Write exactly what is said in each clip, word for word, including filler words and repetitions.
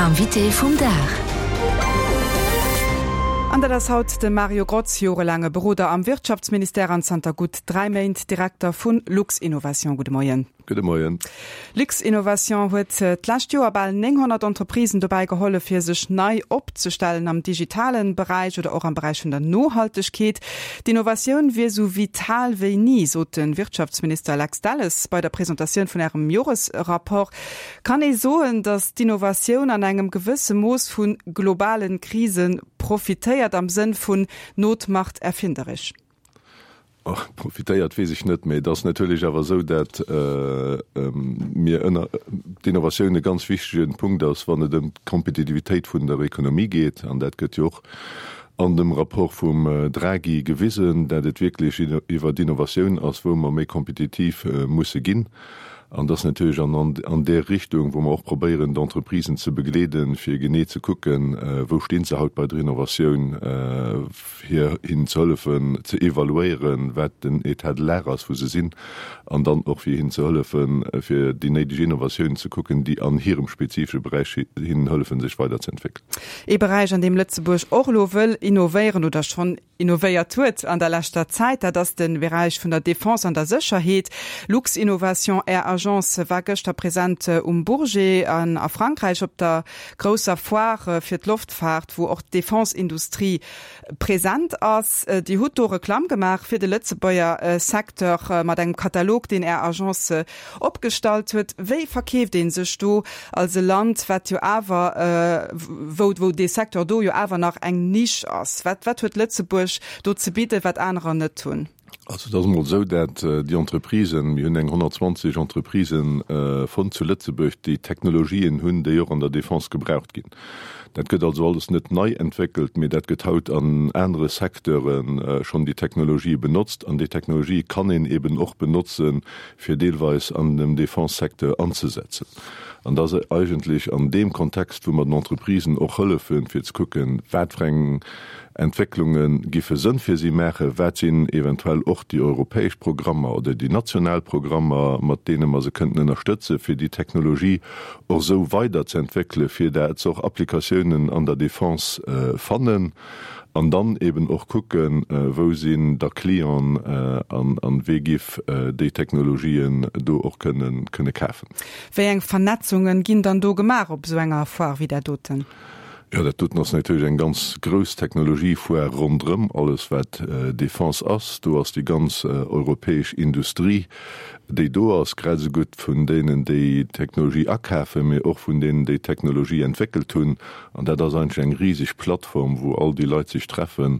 Invité vum Dag. An dat ass haut de Mario Grotz, jorelaange Beroder am Wirtschaftsministère an zanter gutt dräi Méint Direkter vu Luxinnovation. Gudde Moien. Gudde Moien. Luxinnovation huet d'lescht Joer bal nénghonnert Entreprisen dobäi gehollef, fir sech nei opzestellen am digitalen Beräich oder och am Beräich vun der Nohaltegkeet. D'Innovatioun wier sou vital wéi ni, sot de Wirtschaftsminister Lex Delles bei der Presentatioun vun Ärem Joresrapport. Kann ee soen, datt d'Innovatioun an engem gewësse Mooss vu globale Krise profitéiert, am Sënn vun Not macht erfinderisch? Profitéiert weess ech net, mee et ass natierlech awer esou, dat mir ënner d'Innovatioun e ganz wichtege Punkt ass, wann et ëm d'Kompetitivitéit vun der Ekonomie geet. An dat gëtt jo och an dem Rapport vum Draghi gewisen, dat et wierklech iwwer d'Innovatioun ass, wou mer méi kompetitiv musse ginn. An dass natierlech an an där Richtung, wou mer och probéieren, d'Entreprisen ze begleeden, fir genee ze kucken, wou sti se haut bei der Innovatioun, fir hinnen ze hëllefen ze evaluéieren, wat den État de l'art ass, wou se sinn, an dann och fir hinnen ze hëllefen, fir déi néideg Innovatiounen ze kucken, déi an hirem spezifesche Beräich hinnen hëllefen, sech weiderzeentwéckelen. Ee Beräich, an deem Lëtzebuerg och elo wëll innovéieren oder schonn innovéiert huet an der leschter Zäit, dat ass de Beräich vun der Defense an der Sécherheet. Luxinnovation, Är Agence war gëschter present um Bourget an a Frankräich op der grousser Foire fir d'Loftfaart, wou och d'Defense-Industrie present ass. Dir hutt do Reklamm gemaach fir de Lëtzebuerger Secteur mat engem Katalog, deen Är Agence opgestallt huet. Wéi verkeeft ee sech do als e Land, wat jo awer, wou wou dee Secteur do jo awer nach eng Nisch ass? Wat wat huet Lëtzebuerg do ze bidden, wat anerer net hunn? Also et ass emol esou, dat déi Entreprisen, mir hunn eng honnertzwanzeg Entreprisen fonnt zu Lëtzebuerg, déi Technologien hunn, déi och an der Defense gebraucht ginn. Dat gëtt also alles net nei entwéckelt, mee dat gëtt haut an anere Secteure schonn déi Technologie benotzt. An déi Technologie kann een eben och benotzen, fir deelweis an dem Defense-Secteur anzesetzen. An dat ass eigentlech an deem Kontext, wou mer den Entreprisen och hëllefen, fir ze kucken, wat fir eng Entwécklunge giffe Sënn fir si maachen, wat sinn eventuell och déi europäesch Programmer oder déi national Programmer, mat deene mer se kënnten ënnerstëtzen, fir déi Technologie och esou weiderzeentwéckelen, fir dat se och Applikatiounen an der Defense fannen, an dann eben och kucken, wou sinn da Clienten an wee giff déi Technologien do och kënne kafen. Wéi eng Vernetzunge ginn dann do gemaach op esou enger Foire wéi där doten? Jo, dat doten ass natierlech eng ganz grouss Technologiefoire ronderëm alles, wat Defense ass. Do ass déi ganz europäesch Industrie, déi do ass, grad esou gutt vun deenen, déi d'Technologie akafen, mee och vun deenen, déi d'Technologie entwéckelt hunn. An dat ass eigentlech eng riseg Plattform, wou all déi Leit sech treffen,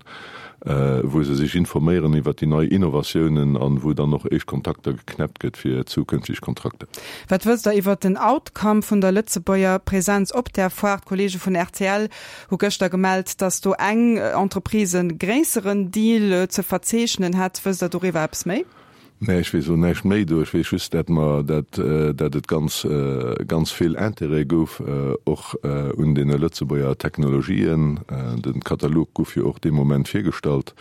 wou se sech informéieren iwwert déi nei Innovatiounen an wou dann och éischt Kontakter geknäppt gëtt fir zukünfteg Kontrakter. Wat wësst Der iwwert den Outcome vun der Lëtzebuerger Presenz op där Foire? D'Kollege vun rtl hu gëschter gemellt, datt do eng Entreprise e gréisseren Deal ze verzeechnen hätt. Wësst Der doriwwer eppes méi? Nee, ech weess elo näischt méi do. Ech weess just, dat mer, dat, dat et ganz, ganz vill Intérêt gouf och un deene Lëtzebuerger Technologien. De Katalog gouf jo och dee Moment virgestallt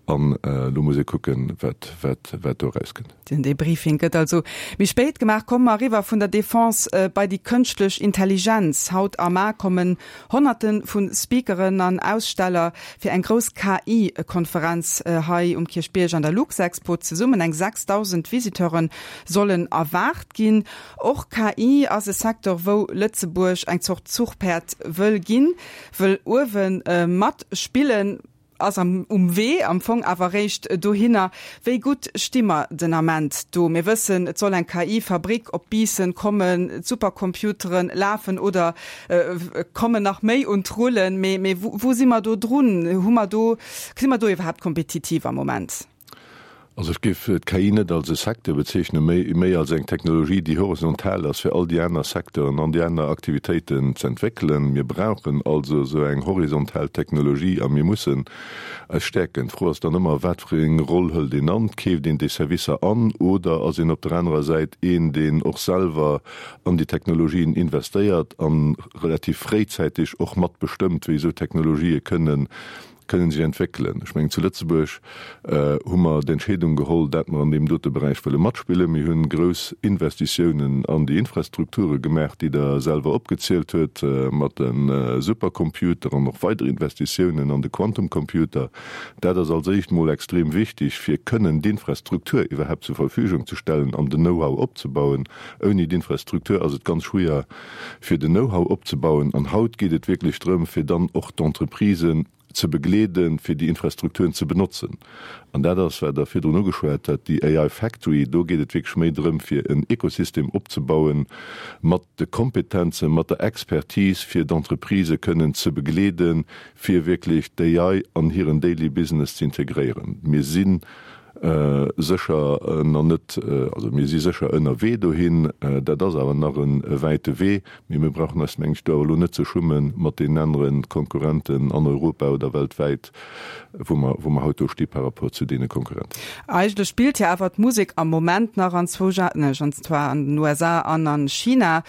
an elo muss ee kucken, wat, wat, wat do erauskënnt. Den Debriefing gëtt also méi spéit gemaach. Komme mer eriwwer vun der Defense bei déi kënschtlech Intelligenz. Haut a mar kommen Honnerte vu Speakeren an Aussteller fir eng grouss K I-Konferenz hei um Kierchbierg an der Luxexpo zesummen. Eng sechsdausend Visiteure sollen erwaart ginn. Och K I ass e Secteur, wou Lëtzebuerg eng Zort Zuchpäerd wëll ginn, wëll uewe matspillen. Ass am um Wee am Fong awer réischt dohinner. Wéi gutt sti mer den Ament do? Mir wëssen, et soll eng K I-Fabrik op Biissen kommen, d'Supercomputeren lafen oder kommen nach méi un d'Rullen. Mee mee wou si mer do drun? Hu mer do, si mer do iwwerhaapt kompetitiv am Moment? Also ech géif d'K I net als e Secteur bezeechnen, méi méi als eng Technologie, déi horizontal ass, fir all déi aner Secteuren an déi aner Aktivitéiten z'entwéckelen. Mir brauchen also esou eng horizontal Technologie a mir mussen eis stäerken. D'Fro ass dann ëmmer, Wat fir eng Roll hëlt een an? Keeft een déi Servicer an oder ass een op der anerer Säit een, deen och selwer an déi Technologien investéiert a relativ fréizäiteg och matbestëmmt, wéi esou Technologië kënnen kënnen sech entwéckelen. Ech mengen, zu Lëtzebuerg hu mer d'Entscheedung geholl, dat mer an deem dote Beräich wëlle matspillen. Mir hunn grouss Investitiounen an déi Infrastrukture gemaach, déi Der selwer opgezielt huet, mat de Supercomputer an och weider Investitiounen an de Quantumcomputer. Dat ass als éischt emol extrem wichtig, fir kënnen d'Infrastruktur iwwerhaupt zur Verfügung ze stellen an den Know-how opzebauen. Ouni d'Infrastruktur ass et ganz schwéier, fir den Know-how opzebauen. An haut geet et wierklech drëm, fir dann och d'Entreprisen ze begleeden, fir déi Infrastrukturen ze benotzen. An dat ass, wat Der virdrun ugeschwat hat, déi A I Factory. Do geet et wierklech méi drëm, fir en Ekosystem opzebauen mat de Kompetenzen, mat der Expertise, fir d'Entreprisë kënnen ze begleeden, fir wierklech d'A I an hiren Daily Business ze integréieren. Mir si sécher nach net, also mir si sécher ënnerwee dohin, dat ass awer nach e wäite Wee, mee mir brauchen eis, meng ech, do awer elo net ze schummen mat deenen anere Konkurrenten an Europa oder weltwäit, wou mer, wou mer haut do sti par rapport zu deene Konkurrenten. Eigentlech spillt jo awer d'Musek am Moment nach an zwou, an zwar an den U S A an an China.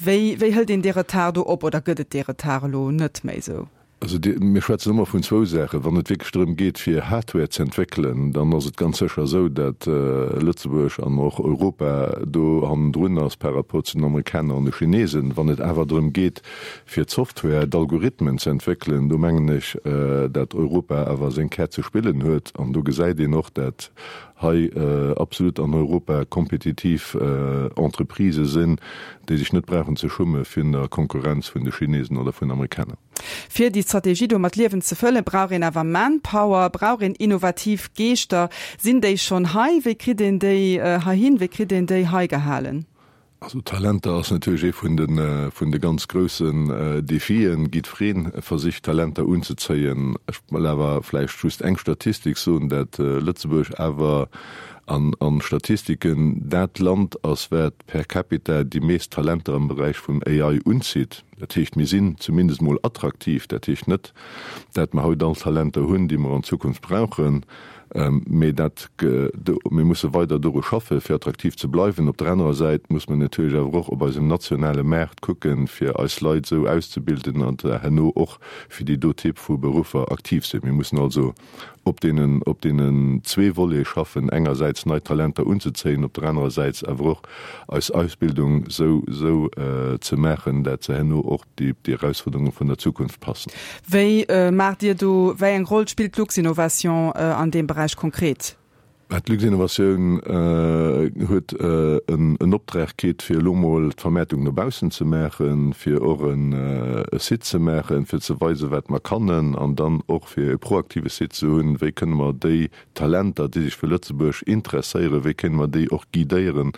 Wéi, wéi hëlt een dee Retard do op oder gëtt et dee Retard elo net méi esou? Also die, mir schwätzen ëmmer vun zwou Saachen. Wann et wierklech drëm geet, fir Hardware ze entwéckelen, dann ass et ganz sécher esou, datt Lëtzebuerg an och Europa do hannendrun ass par rapport zu den Amerikaner an de Chinesen. Wann et awer drëm geet, fir d'Software, d'Algorithmen ze entwéckelen, do mengen ech, datt Europa awer seng Käert ze spillen huet. An do gesäit een och, datt hei absolut an Europa kompetitiv Entreprisë sinn, déi sech net brauchen ze schumme vun der Konkurrenz vun de Chinesen oder vun Amerikaner. Fir déi Strategie do mat Liewen ze fëllen, brauch een awer Manpower, brauch een innovativ Geeschter. Sinn déi schonn hei? Wéi kritt een déi heihin? Wéi kritt een déi hei gehalen? Also Talenter ass natierlech ee vun de, vun de ganz groussen Defien. Jiddwereen versicht Talenter unzezéien. Ech wëll awer vläicht just eng Statistik soen, dat Lëtzebuerg awer an, an Statistiken dat Land ass, wat per capita déi meescht Talenter am Beräich vum A I unzitt. Dat heescht, mir sinn zumindest mol attraktiv. Dat heescht net, dat mer haut all Talenter hunn, déi mer an Zukunft brauchen. Mee dat ge-, do, mir musse weider doru schaffen, fir attraktiv ze bleiwen. Op der anerer Säit muss man natierlech awer och op eisem nationale Maart kucken, fir eis Leit esou auszebilden an herno och fir déi do Typ vu Beruffer aktiv sinn. Mir mussen also op deenen, op deenen zwee Volets schaffen, engersäits nei Talenter unzezéien, op der anerer Säit awer och eis Ausbildung sou, sou ze maachen, dat se herno och déi, déi Herausforderungen vun der Zukunft passen. Wéi maacht Dir do, wéi eng Roll spillt Luxinnovation an deem Beräich konkret? D'Luxinnovation huet en, en Optrag kritt, fir elo mol d'Vermäertung no baussen ze maachen, fir och en, e Site ze maachen, fir ze weisen, wat mer kannen, an dann och fir e proaktive Site ze hunn, wéi kënne mer déi Talenter, déi sech fir Lëtzebuerg interesséieren, wéi kënne mer déi och guidéieren,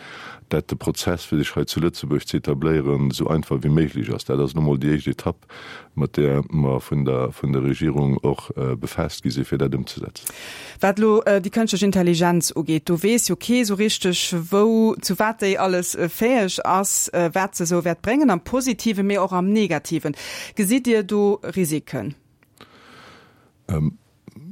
dat de Prozess, fir sech hei zu Lëtzebuerg ze etabléieren, sou einfach wéi méiglech ass. Dat ass nu mol déi éischt Etapp, mat där mer vun der, vun der Regierung och befaasst gi sinn, fir dat ëmzesetzen. Wat elo déi kënschtlech Intelligenz ugeet, do weess jo kee sou richteg, wou, zu wat déi alles fäeg ass, wat se sou wäert bréngen, am Positiven, mee och am Negativen. Gesitt Dir do Risiken?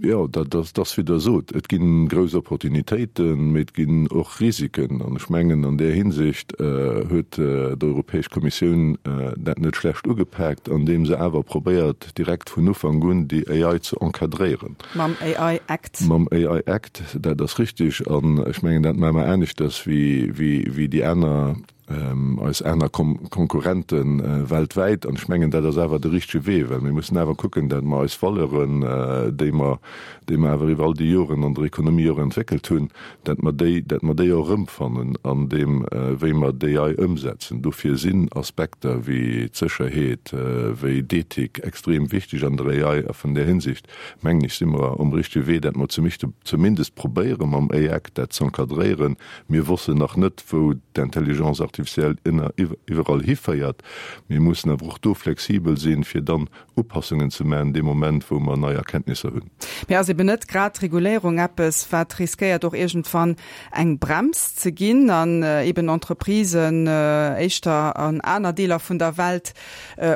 Jo, dat, dat, dat ass wéi Der sot. Et ginn grouss Opportunitéiten, mee et ginn och Risiken. An ech mengen, an där Hinsicht huet d'Europäesch Kommissioun dat net schlecht ugepaakt, andeem se awer probéiert, direkt vun Ufank un déi A I ze encadréieren. Mam A I Act. Mam A I Act, dat ass richtig. An ech mengen, dat maache mer aneschters wéi, wéi, wéi déi aner, eis aner Konkurrenten weltwäit. An ech mengen, dat ass awer de richtege Wee, well mir mussen awer kucken, dat mer eis Valeuren, déi mer, déi mer awer iwwer all déi Joren an der Ekonomie och entwéckelt hunn, dat mer déi, dat mer déi och erëmfannen an deem, wéi mer d'A I ëmsetzen. Dofir sinn Aspekter wéi d'Sécherheet, wéi d'Ethik extrem wichteg an der A I. A vun där Hinsicht, mengen ech, si mer um richtege Wee, dat mer zumindest probéieren, mam A I Act dat ze encadréieren. Mir wëssen nach net, wou d'Intelligence artificielle ënner, iwwerall hiféiert. Mir mussen awer och do flexibel sinn, fir dann Upassungen ze maachen, dee Moment, wou mer nei Erkenntnisser hunn. Mee ass eben net grad d'Reguléierung eppes, wat riskéiert och iergendwann eng Brems ze ginn an eben Entreprisen éischter an aner Deeler vun der Welt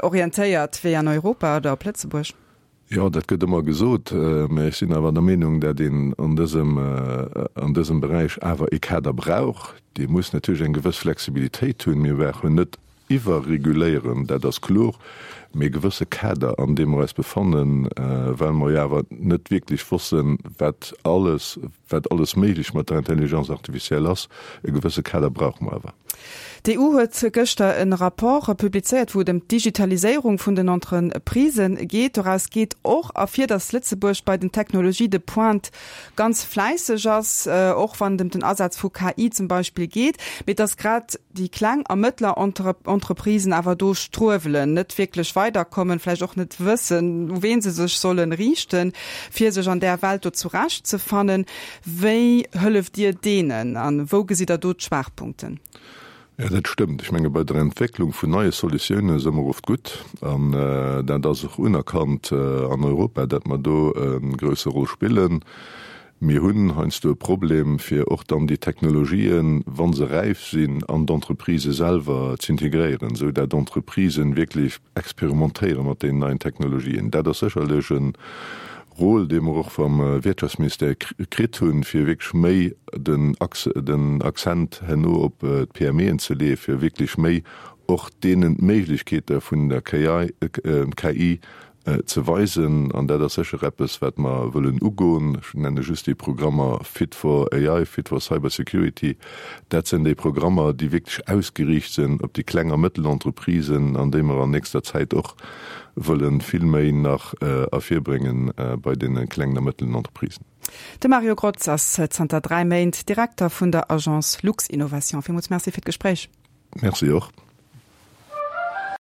orientéiert wéi an Europa oder op Lëtzebuerg? Jo, dat gëtt ëmmer gesot, mee ech sinn awer der Meenung, dat een an dësem, an dësem Beräich awer e Kader brauch. Dee muss natierlech eng gewëss Flexibilitéit hunn. Mir brauchen net iwwerreguléieren, dat ass kloer, mee e gewësse Kader, an deem mer eis befannen, well mer jo awer net wierklech wossen, wat alles, wat alles méiglech mat der Intelligence artificielle ass, e gewësse Kader brauche mer awer. D'EU huet gëschter e Rapport publizéiert, wou et ëm d'Digitaliséierung vun den Entreprisen geet. Doraus geet och ervir, datt Lëtzebuerg bei den Technologies de pointe ganz fläisseg ass, och wann et ëm den Asaz vu KI zum Beispill geet, mee datt grad déi kleng a mëttler Entreprisen awer do struewelen, net wierklech weiderkommen, vläicht och net wëssen, u ween se sech solle riichten, fir sech an där Welt do zurechtzefannen. Wéi hëlleft Dir deenen a wou gesitt Der do d'Schwaachpunkten? Jo, dat stëmmt. Ech menge bei der Entwécklung vun neie Solutioune si mer oft gutt an dat ass och unerkannt an Europa, datt mer do e grousse Roll spillen. Mir hunn heiansdo e Problem, fir och dann déi Technologien, wa se räif sinn, an d'Entreprisë selwer z'integréieren, esou dat d'Entreprisen wierklech experimentéiere mat deenen neien Technologien. Dat ass sécherlech e Rôle, dee mer och vam Wirtschaftsministère kritt hunn, fir wierklech méi den den Accent herno op d'PMEen ze leeën, fir wierklech méi och deenen d'Méiglechkeete vun der KI ze weisen. An dat ass sécher eppes, wat mer wëllen ugoen. Ech nenne just déi Programmer Fit for AI, Fit for Cybersecurity. Dat sinn déi Programmer, déi wierklech ausgeriicht sinn op déi kleng a mëttel Entreprisen an déi mer an nächster Zäit och wëllen vill méi nach ervirbréngen bei deene klengen a mëttelen Entreprisen. De Mario Grotz ass zanter dräi Méint Direkter vun der Agence Luxinnovation. Villmools Merci fir d'Gespréich. Merci och.